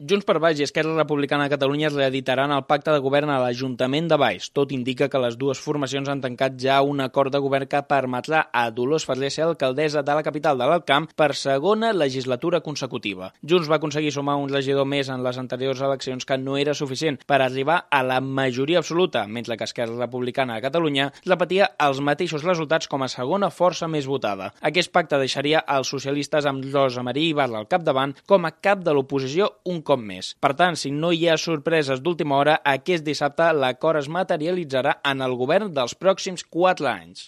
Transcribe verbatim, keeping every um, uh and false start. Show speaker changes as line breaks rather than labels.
Junts per Baix i Esquerra Republicana de Catalunya es reeditaran el pacte de govern a l'Ajuntament de Valls. Tot indica que les dues formacions han tancat ja un acord de govern que permetrà a Dolors Ferrer ser alcaldessa de la capital de l'Alt Camp per segona legislatura consecutiva. Junts va aconseguir sumar un regidor més en les anteriors eleccions que no era suficient per arribar a la majoria absoluta, mentre que Esquerra Republicana de Catalunya repetia els mateixos resultats com a segona força més votada. Aquest pacte deixaria els socialistes amb Rosa Maria Ibarra al capdavant com a cap de l'oposició un cop més. Per tant, si no hi ha sorpreses d'última hora, aquest dissabte l'acord es materialitzarà en el govern dels pròxims quatre anys.